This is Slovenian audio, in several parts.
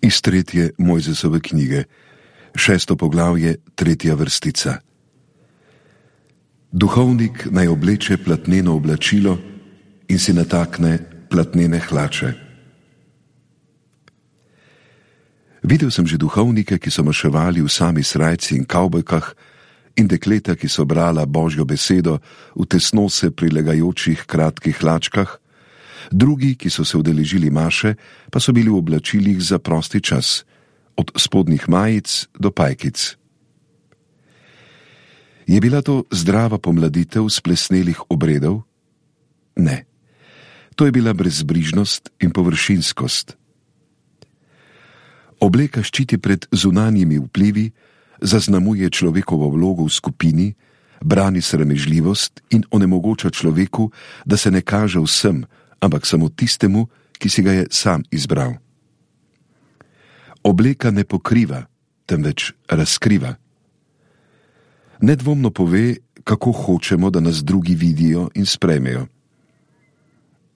Iz 3. Mojzesove knjige, 6. poglavje, 3. vrstica. Duhovnik naj obleče platneno oblačilo in si natakne platnene hlače. Videl sem že duhovnike, ki so maševali v sami srajci in kavbojkah, in dekleta, ki so brala Božjo besedo v tesno se prilegajočih kratkih hlačkah, drugi, ki so se udeležili maše, pa so bili v oblačilih za prosti čas, od spodnjih majic do pajkic. Je bila to zdrava pomladitev splesnelih obredov? Ne. To je bila brezbrižnost in površinskost. Obleka ščiti pred zunanjimi vplivi, zaznamuje človekovo vlogo v skupini, brani sramežljivost in onemogoča človeku, da se ne kaže vsem, ampak samo tistemu, ki si ga je sam izbral. Obleka ne pokriva, temveč razkriva. Nedvomno pove, kako hočemo, da nas drugi vidijo in sprejmejo.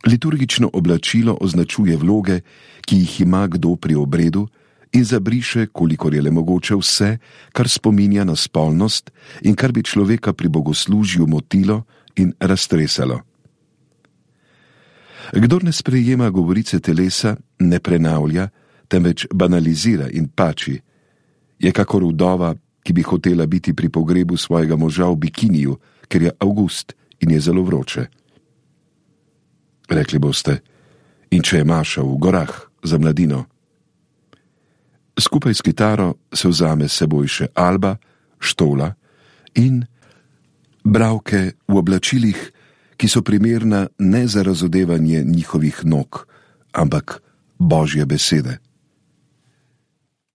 Liturgično oblačilo označuje vloge, ki jih ima kdo pri obredu, in zabriše, kolikor je le mogoče, vse, kar spominja na spolnost in kar bi človeka pri bogoslužju motilo in raztresalo. Kdor ne sprejema govorice telesa, ne prenavlja, temveč banalizira in pači, je kakor vdova, ki bi hotela biti pri pogrebu svojega moža v bikiniju, ker je avgust in je zelo vroče. Rekli boste, in če je maša v gorah za mladino? Skupaj s kitaro se vzame s seboj še alba, štola in bralke v oblačilih, ki so primerna ne za razodevanje njihovih nog, ampak Božje besede.